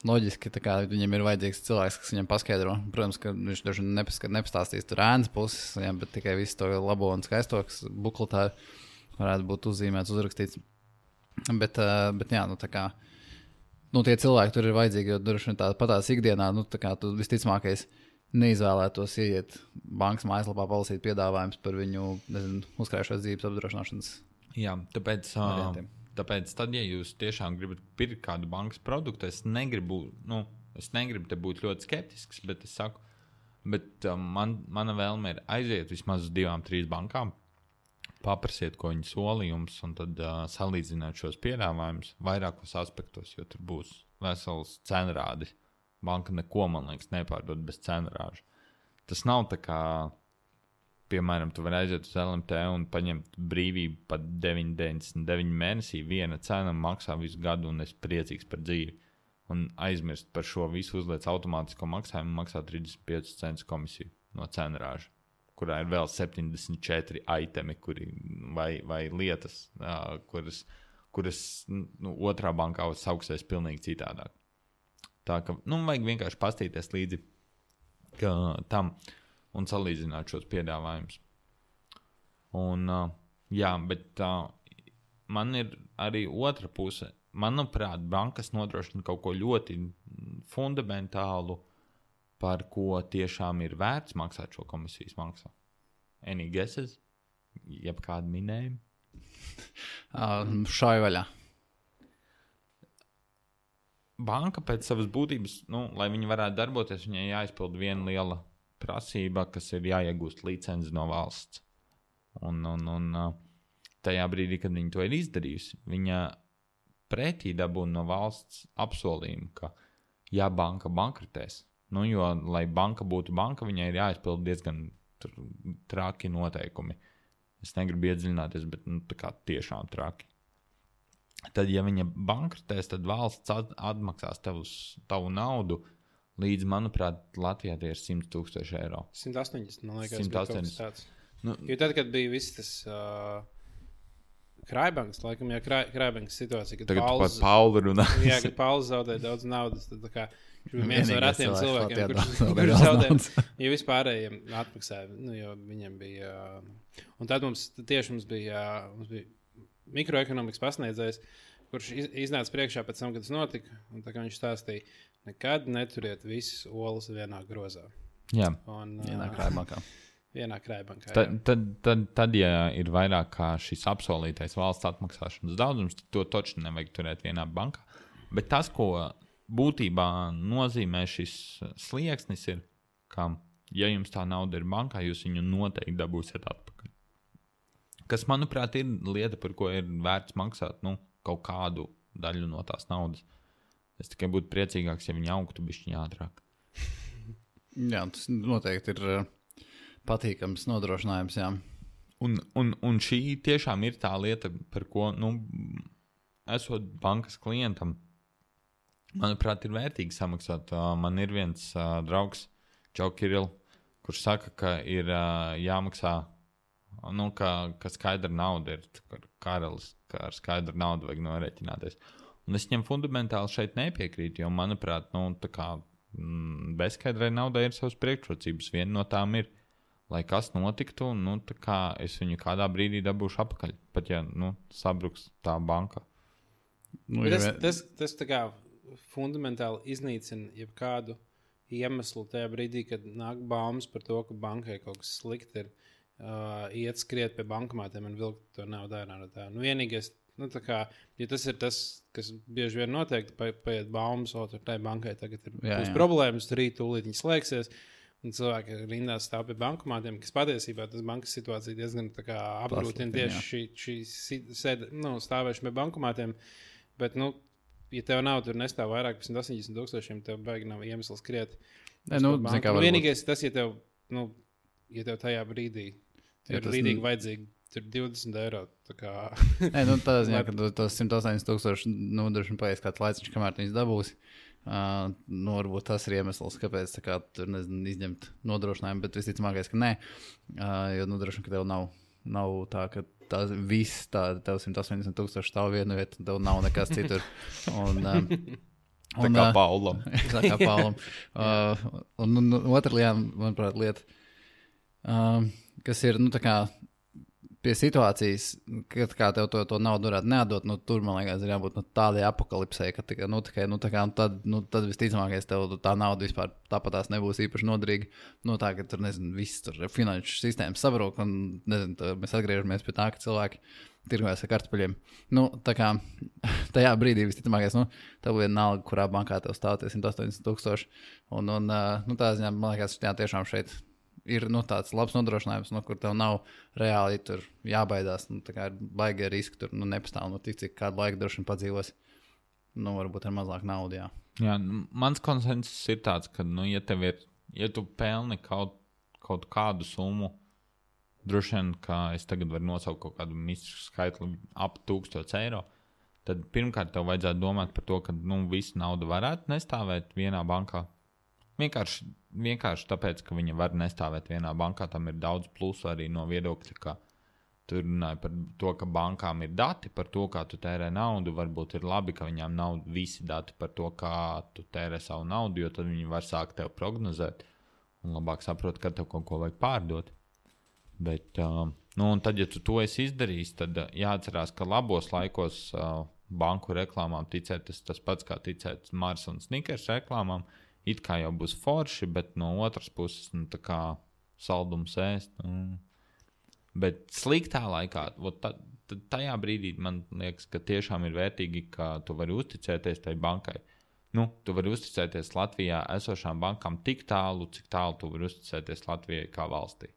loģiski, viņam ir vajadzīgs cilvēks, kas viņam paskaidro. Protams, ka viņš daži nepastāstīs tur ēnas puses, bet tikai visu to labo un skaisto, kas bukletā varētu būt uzzīmēts, uzrakstīts. Bet jā, tie cilvēki tur ir vajadzīgi, jo droši vien patās ikdienā, tu visticamākais neizvēlētos ieiet bankas mājaslapā palasīt piedāvājums par viņu, uzkrājušās dzīves apdrošināšanas. Jā, Tāpēc, tad, ja jūs tiešām gribat pirkt kādu bankas produktu, es negribu te būt ļoti skeptisks, bet es saku, mana vēlme ir aiziet vismaz uz 2-3 bankām, paprasiet, ko viņi sola jums, un tad salīdzināt šos piedāvājumus vairākos aspektos, jo tur būs vesels cenrādis. Banka neko, man liekas, nepārdod bez cenrāža. Tas nav tā kā, piemēram, tu vari aiziet uz LMT un paņemt brīvību pat 9,99 mēnesī. Viena cena maksā visu gadu un es priecīgs par dzīvi. Un aizmirst par šo visu uzliec automātisko maksājumu maksā 35 centus komisiju no cenrāža, kurā ir vēl 74 itemi vai lietas, kuras otrā bankā sauksies pilnīgi citādāk. Tā ka, vajag vienkārši pastīties līdzi tam un salīdzināt šos piedāvājumus. Un, bet man ir arī otra puse. Manuprāt, bankas nodrošina kaut ko ļoti fundamentālu, par ko tiešām ir vērts maksāt šo komisijas maksu. Any guesses? Jeb kādu minējumu? Šai vaļā. Banka pēc savas būtības, lai viņi varētu darboties, viņai jāizpild viena liela prasība, kas ir jāiegūst licenci no valsts. Un tajā brīdī, kad viņi to ir izdarījusi, viņa pretī dabūna no valsts apsolījumu, ka ja banka bankrotēs, jo, lai banka būtu banka, viņai ir jāizpild diezgan traki noteikumi. Es negribu iedziļināties, bet tā kā tiešām traki. Tad, ja viņa bankrotēs, tad valsts atmaksās tavu naudu līdz, manuprāt, Latvijā tie ir 100,000 eiro. 180, man liekas, 180. tāds. Jo tad, kad bija viss tas Krājbankas, laikam, Krājbankas situācija, kad Paula runā. Jā, kad Pauls zaudēja daudz naudas, tad tā kā viens no retiem cilvēkiem, kurš zaudēja, jo vispārējiem atmaksāja, jo viņiem bija, un tad mums bija mikroekonomikas pasniedzējs, kurš iznāca priekšā pēc tam, kad tas notika, un tā kā viņš stāstīja, nekad neturiet visas olas vienā grozā. Jā, vienā Krājbankā. Vienā Krājbankā. Tad, ja ir vairāk kā šis apsolītais valsts atmaksāšanas daudzums, tad to taču nevajag turēt vienā bankā. Bet tas, ko būtībā nozīmē šis slieksnis, ir, ka, ja jums tā nauda ir bankā, jūs viņu noteikti dabūsiet atpakaļ. Kas, manuprāt, ir lieta, par ko ir vērts maksāt kaut kādu daļu no tās naudas. Es tikai būtu priecīgāks, ja viņi augtu bišķiņ ātrāk. Jā, tas noteikti ir patīkams nodrošinājums, jā. Un šī tiešām ir tā lieta, par ko, esot bankas klientam, manuprāt, ir vērtīgi samaksāt. Man ir viens draugs, Čau Kiril, kurš saka, ka ir jāmaksā, ka skaidra nauda ir karalis, ka ar skaidru naudu vajag noreķināties. Un es viņam fundamentāli šeit nepiekrītu, jo, manuprāt, bezskaidrai naudai ir savas priekšrocības. Viena no tām ir, lai kas notiktu, tā kā es viņu kādā brīdī dabūšu apakaļ, pat ja, sabruks tā banka. Tas tā kā fundamentāli iznīcina jebkādu iemeslu tajā brīdī, kad nāk baumas par to, ka bankai kaut kas slikti ir, iet skriet pie bankomātiem un vilkt to naudu ārā no tā. Vienīgais, tā kā, ja tas ir tas, kas bieži vien noteikti paiet baumas, tur tai bankai tagad ir problēmas, tur rīt tūlīt viņi slēgsies. Un cilvēki rindās stāv pie bankomātiem, kas patiesībā tas bankas situācija diezgan apgrūtina tieši šī stāvēšana pie bankomātiem. Bet, ja tev nav, tur nestāv vairāk par 180,000, tev baigi nav iemesls skriet. Vienīgais tas, ja tev tajā brīdī ir rīdīgi vajadzīgi, tur 20 eiro. Tādā ziņā, ka tos 180,000 nodrošina paies kāds laiciņš, kamēr viņas dabūsi. Varbūt tas ir iemesls, kāpēc tur izņemt nodrošinājumu, bet visticamākais, ka nē, jo nodrošina, ka tev nav tā, ka tās viss tev 180,000 stāv vienu vietu, tev nav nekas citur. Tā kā Paulam. Tā kā Paulam. Un otra lieta, kas ir, tā kā pie situācijas, kad kā tev to naudu varētu neatdot, tur, man liekas, ir jābūt tādai apokalipsei, ka tad visticamākais tev tā nauda vispār tāpatās nebūs īpaši noderīga. Tā, ka tur, viss tur finanšu sistēmas sabrūk, un, mēs atgriežamies pie tā, ka cilvēki tirgojas ar kartupeļiem. Tā kā tajā brīdī visticamākais, tev vienalga, kurā bankā tev stāv 180,000, un tā ziņā, man liekas, tiešām šeit ir tāds labs nodrošinājums, kur tev nav reāli tur jābaidās. Tā kā ir baigi riski, tur nepastāv, tik cik kādu laiku droši vien padzīvos. Varbūt ar mazāk naudu, jā. Jā, mans konsensus ir tāds, ka, ja tu pelni kaut kādu summu, droši vien, ka es tagad varu nosaukt kaut kādu mistisku skaitli ap 1000 eiro, tad pirmkārt tev vajadzētu domāt par to, ka, visa nauda varētu nestāvēt vienā bankā. Vienkārši tāpēc, ka viņa var nestāvēt vienā bankā, tam ir daudz plusu arī no viedokļa, ka Tu runāji par to, ka bankām ir dati par to, kā tu tērē naudu. Varbūt ir labi, ka viņām nav visi dati par to, kā tu tērē savu naudu, jo tad viņi var sākt tev prognozēt un labāk saprot, kad tev kaut ko vajag pārdot. Bet, un tad, ja tu to esi izdarījis, tad jāatcerās, ka labos laikos banku reklāmām ticēt tas pats, kā ticēt Mars un Snickers reklāmām. It kā jau būs forši, bet no otras puses, tā kā saldums ēst. Bet sliktā laikā, tajā brīdī man liekas, ka tiešām ir vērtīgi, ka tu vari uzticēties tai bankai. Tu vari uzticēties Latvijā esošām bankām tik tālu, cik tālu tu vari uzticēties Latvijai kā valstī.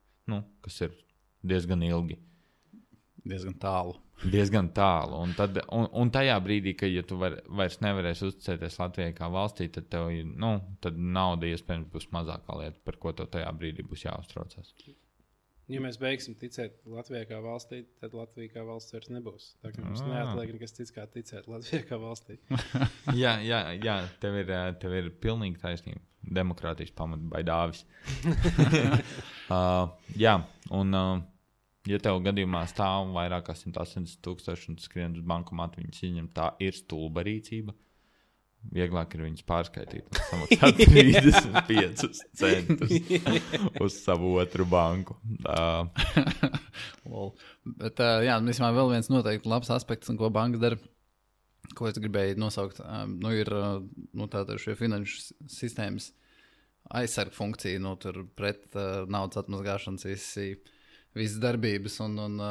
Kas ir diezgan ilgi. Diezgan tālu. Diezgan tālu. Un tajā brīdī, ka ja tu vairs nevarēsi uzticēties Latvijai kā valstī, tad tev tad nauda iespējams būs mazākā lieta, par ko tev tajā brīdī būs jāuztraucās. Ja mēs beigsim ticēt Latvijai kā valstī, tad Latvija kā valsts vairs nebūs. Tā kā mums neatliek nekas cits kā ticēt Latvijai kā valstī. jā, tev ir pilnīgi taisnība. Demokrātijas pamata baidāvis. Ja tev gadījumā stāv vairāk kā 180,000 un skrien uz bankomātu, viņas izņem, tā ir stulba rīcība. Vieglāk ir viņus pārskaitīt un samaksāt 35 centus uz savu otru banku. Bet, vismaz vēl viens noteikti labs aspekts, ko bankas dara, ko es gribēju nosaukt, ir tātad šie finanšu sistēmas aizsarga funkcija, tur pret naudas atmazgāšanas visas darbības un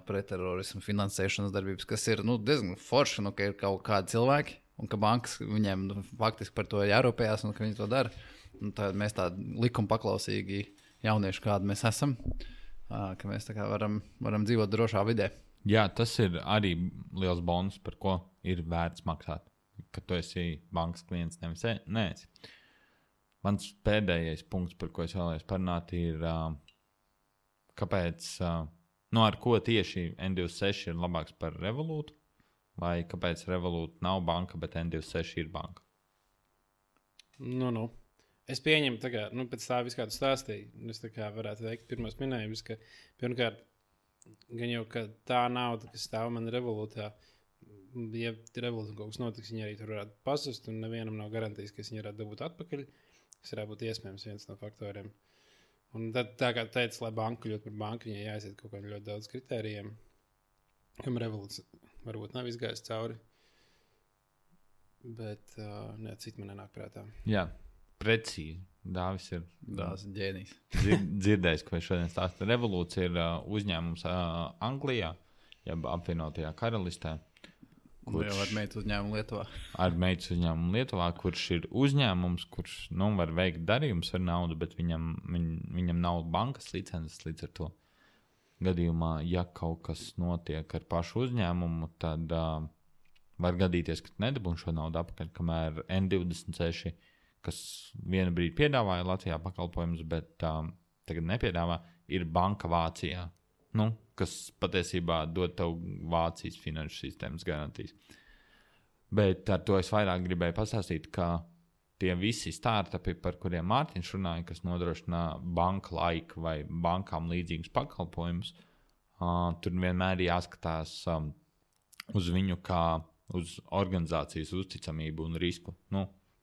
pret terorismu finansēšanas darbības, kas ir diezgan forši, ka ir kaut kādi cilvēki, un ka bankas viņiem faktiski par to jārūpējās un ka viņi to dara. Tad mēs tādi likuma paklausīgi jaunieši, kādi mēs esam, ka mēs tā kā varam dzīvot drošā vidē. Jā, tas ir arī liels bonus, par ko ir vērts maksāt, ka tu esi bankas klients, nevis neesi. Mans pēdējais punkts, par ko es vēlējos parunāt, ir kāpēc, ar ko tieši N26 ir labāks par Revolūtu, vai kāpēc Revolūta nav banka, bet N26 ir banka? Es pieņemu, pēc tā visu, kā tu stāstīji, es varētu veikt pirmos minējumus, ka pirmkārt, gan jau, ka tā nauda, kas stāv man Revolūtā, ja Revolūta kaut kas notiks, viņi arī tur varētu pazust, un nevienam nav garantijas, ka viņi varētu dabūt atpakaļ, kas varētu būt iespējams viens no faktoriem. Un tad, tā kā teica, lai banka kļūt par banku, viņai jāiziet kaut kādiem ļoti daudz kritērijiem, kam Revolūts varbūt nav izgājis cauri, bet citi man nenāk prātā. Jā, precīzi. Dāvis ir ģēnijs. Dzirdējis, ko es šodien stāstu. Revolūts ir uzņēmums Anglijā, jeb apvienotajā karalistē. Ar meitas uzņēmumu Lietuvā. Ar meitas uzņēmumu Lietuvā, kurš ir uzņēmums, kurš var veikt darījumus ar naudu, bet viņam nav bankas licences līdz ar to. Gadījumā, ja kaut kas notiek ar pašu uzņēmumu, tad var gadīties, ka nedabūn šo naudu atpakaļ, kamēr N26, kas vienu brīdi piedāvāja Latvijā pakalpojumus, bet tagad nepiedāvā, ir banka Vācijā, kas patiesībā dod tev Vācijas finanšu sistēmas garantijas. Bet ar to es vairāk gribēju pastāstīt, ka tie visi startupi, par kuriem Mārtiņš runāja, kas nodrošina banka laiku vai bankām līdzīgus pakalpojumus, tur vienmēr jāskatās uz viņu kā uz organizācijas uzticamību un risku.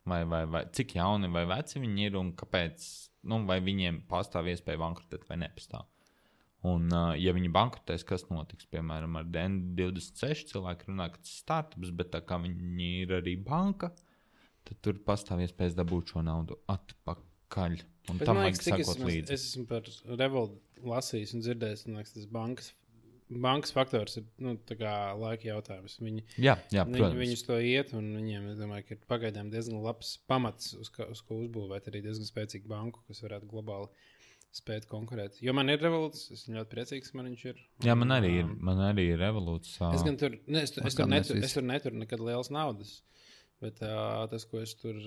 Vai cik jauni vai veci viņi ir un kāpēc, vai viņiem pastāv iespēja bankrotēt vai nepastāv. Un, ja viņi bankrotēs, kas notiks? Piemēram, ar N26 cilvēki runā, ka tas ir startups, bet tā kā viņi ir arī banka, tad tur pastāv iespējas dabūt šo naudu atpakaļ. Un tam vajag sakot līdzi. Es esmu par Revolūtu lasījis un dzirdējis, un liekas, tas bankas faktors ir tā kā laika jautājums. Jā, protams. Viņus to iet, un viņiem, es domāju, ka ir pagaidām diezgan labs pamats, uz ko uzbūvēt arī diezgan spēcīgu banku, kas varētu globāli spēt konkurēt. Jo man ir Revolūts, es esmu ļoti priecīgs, ka man viņš ir. Jā, man arī ir Revolūts. Es gan tur, es tur neturu nekad lielas naudas. Bet tas, ko es tur...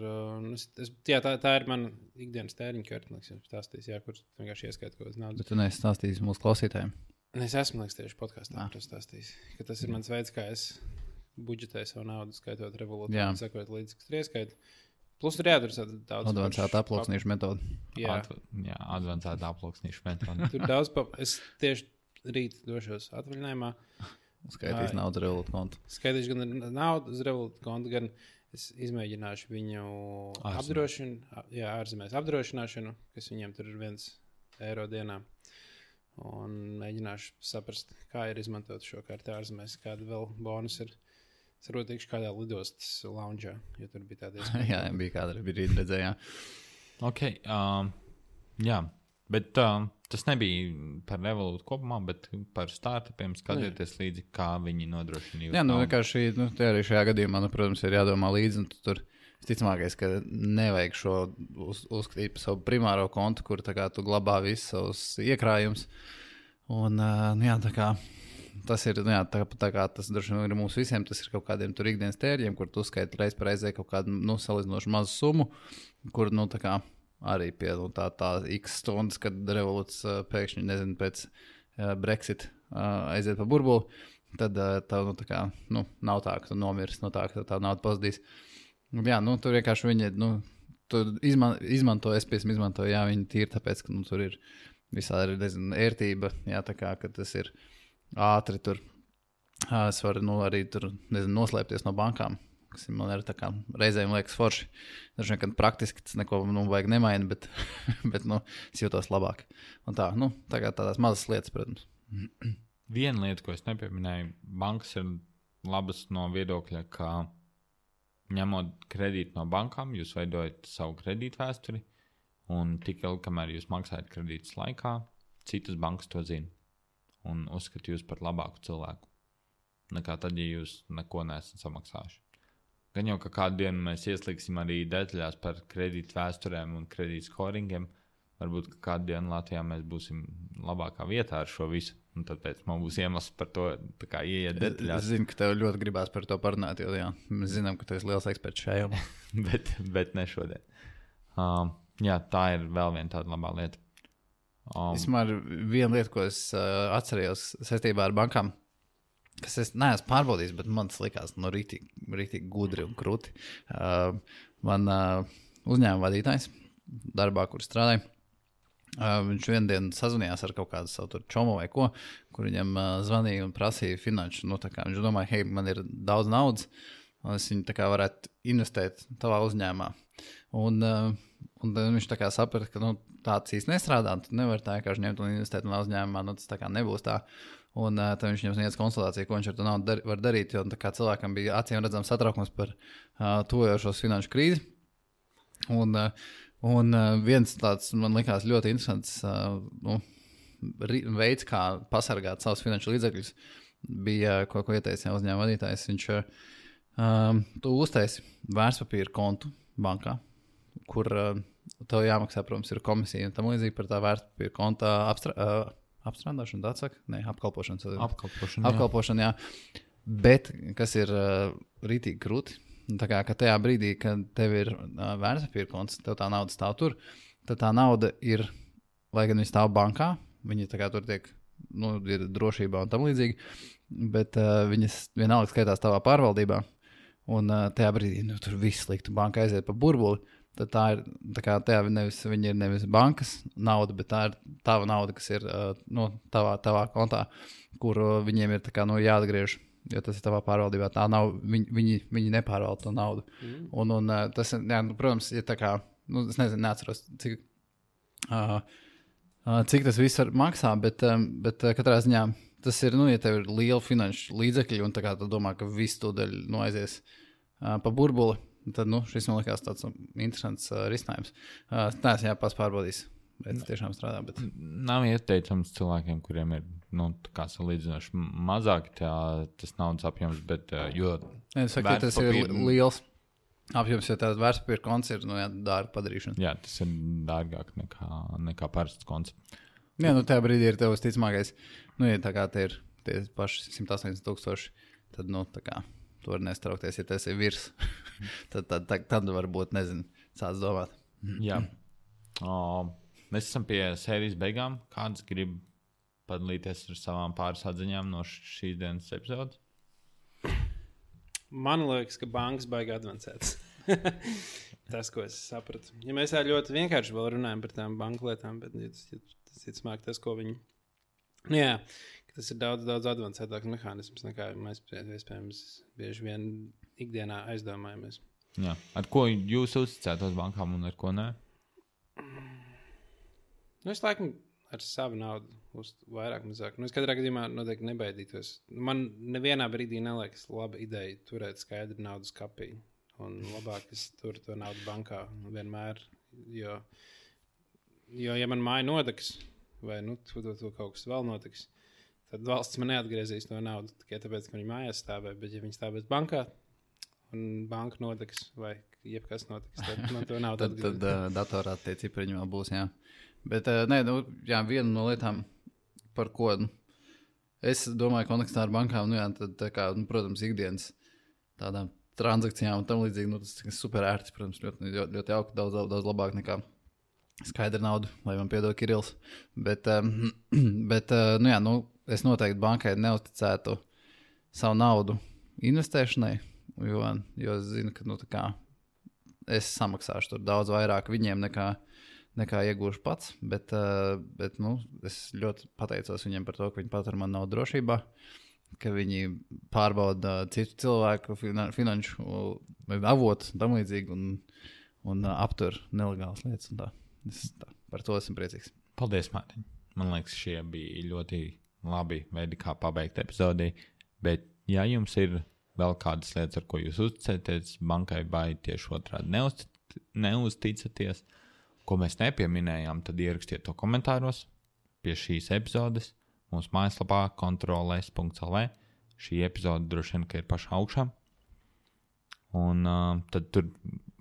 tā ir mana ikdienas tēriņa karte, stāstījis, kur vienkārši ieskait kaut kādas naudas. Bet tu neesi stāstījis mūsu klausītājiem? Es esmu, tieši podkāstā stāstījis, ka tas ir mans veids, kā es budžetēju savu naudu, skaitot Revolūtu, un sekot līdzi, kas tur ieskait. Plus tur jādara daudz... Advancēta aploksnīšu metode. Jā, advancēta aploksnīšu metode. Tur daudz... Es tieši rīt došos atvaļinājumā. Skaitīs naudu uz Revolut kontu. Skaitīšu gan naudu uz Revolut kontu, gan es izmēģināšu viņu ārzemēs apdrošināšanu, kas viņiem tur ir €1 dienā. Un mēģināšu saprast, kā ir izmantot šo karti ārzemēs, kāda vēl bonus ir. Es varbūt tikšu kādā lidostas loungeā, jo tur bija tāda iespēja. Jā, bija kāda brīdi redzējā. Ok, jā, bet tas nebija par Revolut kopumā, bet par startupiem skatieties līdzi, kā viņi nodrošina jūsu. Jā, vienkārši, te arī šajā gadījumā, protams, ir jādomā līdzi, un tur visticamākais, ka nevajag šo uzskatīt par savu primāro kontu, kur tā kā tu glabā visus savus iekrājumus. Un, jā, tā kā tas ir, jā, tā kā tas droši vien ir mums visiem, tas ir kaut kādiem tur ikdienas tērģiem, kur tu uzskaiti reiz par reizē kaut kādu, salīdzinoši mazu summu, kur, tā kā arī pie tā x stundas, kad Revoluts pēkšņi, nezinu, pēc Brexit aiziet pa burbuli, tad tā, tā kā, nav tā, ka tu nomirs, tā, ka tā nauda pazudīs. Jā, tur vienkārši viņi, tur izmanto, es piesam izmantoju, jā, viņi tīri tāpēc, ka, tur ir visādi, nezinu, ērtība, jā, tā kā, ka tas ir ātri tur, es varu, arī tur, nezinu, noslēpties no bankām, kas man ir tā kā reizēm liekas forši. Dažiem, kad praktiski tas neko, vajag nemaina, bet, es jūtos labāk. Un tā, tagad tādās mazas lietas, protams. Viena lieta, ko es nepieminēju, bankas ir labas no viedokļa, ka ņemot kredītu no bankām, jūs veidojat savu kredītu vēsturi, un tik ilgi, kamēr jūs maksājat kredītus laikā, citas bankas to zina un uzskata jūs par labāku cilvēku nekā tad, ja jūs neko neesat samaksājuši. Gan jau, ka kādu dienu mēs ieslīgsim arī detaļās par kredītu vēsturēm un kredītu scoringiem, varbūt, ka kādu dienu Latvijā mēs būsim labākā vietā ar šo visu, un tāpēc man būs iemesls par to tā kā ieiet detaļās. Es zinu, ka tev ļoti gribās par to parunāt, jo jā, mēs zinām, ka tu esi liels eksperts šajā jomā. bet ne šodien. Jā, tā ir vēl viena tāda labā lieta. Vismaz viena lieta, ko es atcerējos saistībā ar bankām, kas es neesmu pārbaudījis, bet man tas likās rītīgi gudri un krūti. Man uzņēmuma vadītājs darbā, kur strādāja, viņš vienu dienu sazvanījās ar kaut kādu savu čomu vai ko, kur viņam zvanīja un prasīja finanšu. Viņš domāja, hei, man ir daudz naudas, un es viņu tā kā varētu investēt tavā uzņēmumā. Un viņš tā kā saprata, ka tāds īsti nestrādā, tu nevari tā vienkārši ņemt un investēt manā uzņēmumā, tas tā kā nebūs tā. Un tad viņš viņam sniedz konsultāciju, ko viņš ar to naudu var darīt, jo tā kā cilvēkam bija acīm redzams satraukums par tuvojošos finanšu krīzi. Un viens tāds, man likās, ļoti interesants veids, kā pasargāt savus finanšu līdzekļus, bija, ko ieteica uzņēmuma vadītājs. Viņš tu uztaisi vērtspapīra kontu bankā, kur tev jāmaksā, protams, ir komisija un tam līdzīgi par tā vērtspapīra konta apstrādāšanu, tā saka? Nē, apkalpošanu. Apkalpošanu, jā. Bet, kas ir rītīgi krūti, tā kā, ka tajā brīdī, kad tev ir vērtspapīra konts, tev tā nauda stāv tur, tad tā nauda ir, lai gan viņi stāv bankā, viņi tā kā tur tiek, ir drošībā un tam līdzīgi, bet viņas vienalga skaitās tavā pārvaldībā, un tajā brīdī, tur viss sliktu, banka aiziet pa burbuli, tad tā ir, tā kā viņa ir nevis bankas nauda, bet tā ir tava nauda, kas ir tavā kontā, kur viņiem ir tā kā jāatgriež, jo tas ir tavā pārvaldībā. Tā nav, viņi nepārvalda to naudu. Un tas, jā, protams, ir tā kā, es nezinu, neatceros, cik tas viss maksā, bet katrā ziņā tas ir, ja tev ir liela finanšu līdzekļi, un tā kā tu domā, ka viss tūdaļ aizies pa burbuli, tad, šis man likās tāds interesants risinājums. Tā es pats pārbaudīju, bet tas tiešām strādā. Bet... Nav ieteicams cilvēkiem, kuriem ir, tā kā salīdzinoši mazāk tas naudas apjoms, bet, jo... Es saku, tas ir liels apjoms, jo tāds vērtspapīra konts ir, dārga padarīšana. Jā, tas ir dārgāk nekā parasts konts. Jā, tajā brīdī ir tev sticamākais, ja tā kā te ir tie paši 180,000, tad, tā kā... Tu vari nestraukties, ja tas ir virs. tad varbūt, nezinu, sāc domāt. Jā. Mēs esam pie sērijas beigām. Kāds grib padalīties ar savām pāris atziņām no šīs dienas epizodes? Man liekas, ka bankas baigi advancētas. Tas, ko es sapratu. Ja mēs ļoti vienkārši vēl runājam par tām banku lietām, bet tas ir smāk tas, ko viņi Nu, jā, tas ir daudz advancētāks mehānisms, nekā mēs iespējams bieži vien ikdienā aizdomājamies. Jā. Ar ko jūs uzticētos bankām un ar ko nē? Nu, es laikam ar savu naudu uz vairāk mazāk. Nu, es katrā gadījumā noteikti nebaidītos. Man nevienā brīdī neliekas laba ideja turēt skaidru naudu skapī. Un labāk es turu to naudu bankā vienmēr, jo ja man māja nodegs, vai to kaut kas vēl notiks, tad valsts man neatgriezīs to naudu tikai tāpēc, ka viņi mājās stāvē, bet ja viņi stāvēs bankā un banka nodegs vai jebkas notiks, tad man to naudu atgriezīs. Tad datorā tie cipariņi vēl būs, jā. Bet, jā, viena no lietām, par ko es domāju kontekstā ar bankām, tad tā kā, protams, ikdienas tādām transakcijām un tam līdzīgi, tas ir super ērti, protams, ļoti jauki, daudz labāk nekā skaidra nauda, lai man piedod Kirills. Bet es noteikti bankai neuzticētu savu naudu investēšanai, jo es zinu, ka es samaksāšu tur daudz vairāk viņiem nekā iegūšu pats, bet es ļoti pateicos viņiem par to, ka viņi patur man naudu drošībā, ka viņi pārbauda citu cilvēku finanšu avotu tam līdzīgi un aptur nelegālas lietas un tā. Par to esmu priecīgs. Paldies, Mārtiņ. Man liekas, šie bija ļoti labi veidi, kā pabeigt epizodi, bet ja jums ir vēl kādas lietas, ar ko jūs uzticaties bankai vai tieši otrādi neuzticaties, ko mēs nepieminējām, tad ierakstiet to komentāros pie šīs epizodes. Mūsu mājaslapā kontroles.lv. Šī epizode droši vien, ka ir pašā augšā. Un tad tur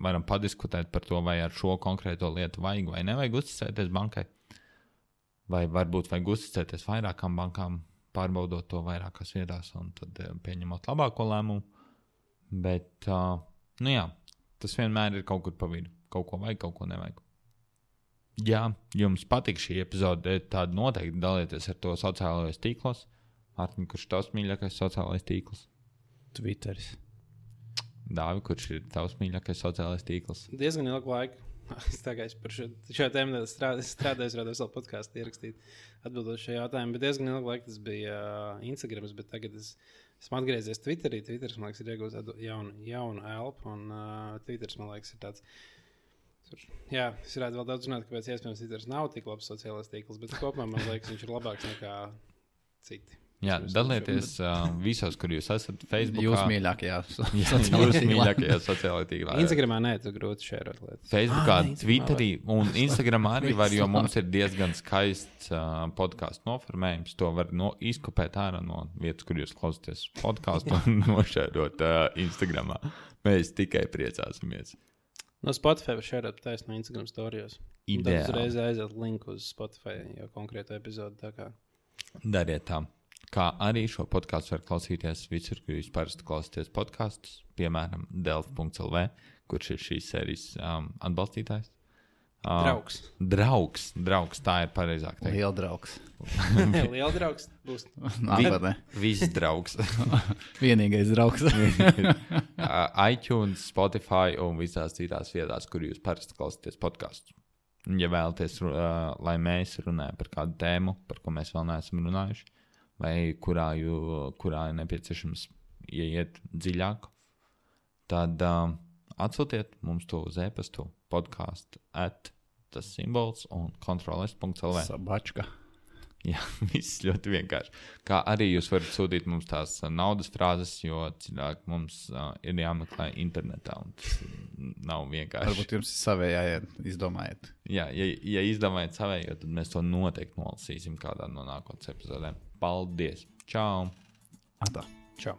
varam padiskutēt par to, vai ar šo konkrēto lietu vajag vai nevajag uzticēties bankai. Vai varbūt vajag uzticēties vairākām bankām, pārbaudot to vairākās vietās un tad pieņemot labāko lēmumu. Bet, tas vienmēr ir kaut kur pa vidu. Kaut ko vajag, kaut ko nevajag. Ja jums patīk šī epizode, tad noteikti dalieties ar to sociālajos tīklos. Mārtiņ, kurš tavs mīļākais sociālais tīkls? Twitteris. Dāvi, kurš ir tavs mīļākais sociālais tīkls? Diezgan ilgu laiku. Es tagad par šo tēmu strādāju, vēl podkāstu ierakstīt, atbildot šo jautājumu. Bet diezgan ilgu laiku tas bija Instagrams, bet tagad esmu atgriezies Twitterī. Twitteris, man liekas, ir iegūst tādu jaunu elpu, un Twitteris, man liekas, ir tāds. Jā, es varētu vēl daudz runāt, kāpēc iespējams Twitters nav tik labs sociālais tīkls, bet kopumā man liekas, viņš ir labāks nekā citi. Jā, dalieties visos, kur jūs esat Facebookā. Jūs mīļākajā sociālajā tīklā. Instagramā nē, tu grūti šērot lietas. Facebookā, Twitterī un Instagramā arī var, jo mums ir diezgan skaists podcastu noformējums. To var izkopēt ārā no vietas, kur jūs klausāties podcastu un nošērot Instagramā. Mēs tikai priecāsimies. No Spotify var šērot taisno no Instagram storijos. Ideāli. Tad uzreiz aiziet linku uz Spotify, jo konkrētu epizodu tā kā. Dariet tā. Kā arī šo podkāstu var klausīties visur, kur jūs parasti klausāties podkastus, piemēram, delf.lv, kurš ir šīs sērijas atbalstītājs. Draugs, tā ir pareizāk teikt. Liela draugs. Liela draugs būs. Nākotnē. Viss draugs. Vienīgais draugs. iTunes, Spotify un visās citās vietās, kur jūs parasti klausāties podkastus. Ja vēlaties, lai mēs runājam par kādu tēmu, par ko mēs vēl neesam runājuši, vai kurā ir nepieciešams ieiet dziļāk, tad atsūtiet mums to uz e-pastu podcast@tas-simbols un kontroles.lv. Sabačka. Jā, viss ļoti vienkārši. Kā arī jūs varat sūtīt mums tās naudas frāzes, jo cilvēki mums ir jāmeklē internetā, un tas nav vienkārši. Varbūt jums ir savējā, izdomājiet. Jā, ja izdomājiet savējo, tad mēs to noteikti nolasīsim kādā no nākotnes epizodēm. Paldies! Čau! Atā. Čau!